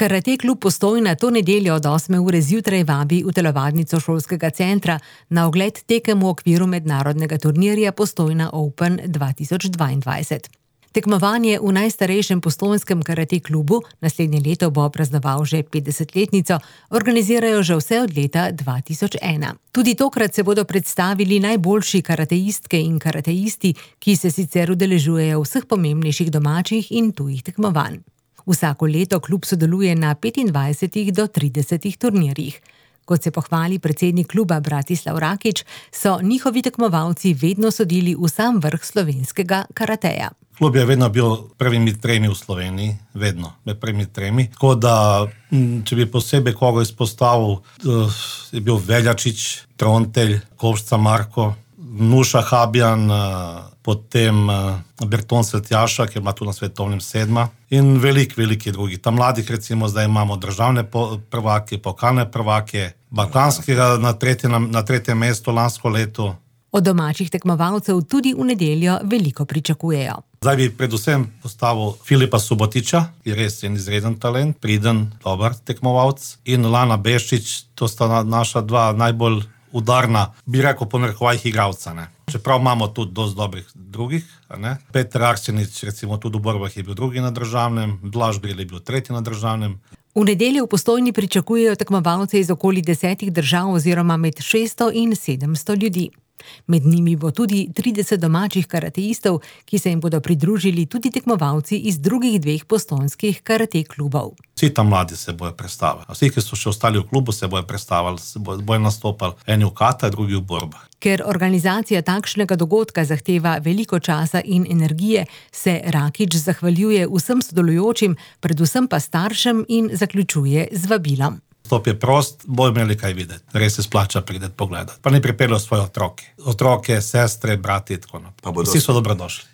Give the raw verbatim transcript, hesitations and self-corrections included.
Karate klub Postojna to nedeljo od osme ure zjutraj vabi v telovadnico šolskega centra na ogled tekem v okviru mednarodnega turnirja Postojna Open dva tisoč dvaindvajset. Tekmovanje v najstarejšem postojnskem karate klubu, naslednje leto bo praznoval že petdesetletnico, organizirajo že vse od leta dva tisoč ena. Tudi tokrat se bodo predstavili najboljši karateistke in karateisti, ki se sicer udeležujejo vseh pomembnejših domačih in tujih tekmovanj. Vsako leto klub sodeluje na petindvajsetih do tridesetih turnirjih. Kot se pohvali predsednik kluba Bratislav Rakič, so njihovi tekmovalci vedno sodili v sam vrh slovenskega karateja. Klub je vedno bil prvimi tremi v Sloveniji, vedno, med prvimi tremi. Tako da, če bi posebej koga izpostavil, je bil Veljačič, Trontelj, Kovšca Marko, Nuša Habjan, potem Berton Svetjaša, ki ima tu na svetovnem sedma, in velik, veliki drugi. Tam mladih recimo zdaj imamo državne prvake, pokalne prvake, balkanskega na tretjem, na tretjem mestu lansko leto. Od domačih tekmovalcev tudi v nedeljo veliko pričakujejo. Zdaj bi predvsem postavil Filipa Subotiča, ki je res en izreden talent, priden, dober tekmovalc, in Lana Beščič, to sta naša dva najbolj udarna, bi rekel po narekovajih igralca, ne. Čeprav imamo tudi dosti dobrih drugih, ne. Peter Arsenič, recimo tudi v borbah je bil drugi na državnem, Blaž Bril je bil tretji na državnem. V nedeljo v Postojni pričakujejo tekmovalce iz okoli desetih držav oziroma med šeststo in sedemsto ljudi. Med njimi bo tudi trideset domačih karateistov, ki se jim bodo pridružili tudi tekmovalci iz drugih dveh postojnskih karate klubov. Vsi tam mladi se bojo predstavili. Vsi, ki so še ostali v klubu, se bojo predstavili, se bojo nastopali. Eni v kata, drugi v borbah. Ker organizacija takšnega dogodka zahteva veliko časa in energije, se Rakič zahvaljuje vsem sodelujočim, predvsem pa staršem, in zaključuje z vabilom. Stop je prost, bojo imeli kaj videti. Res se splača prideti pogledati. Pa ne pripeljajo svoje otroke. Otroke, sestre, brati, tako naprej. Vsi so dobrodošli.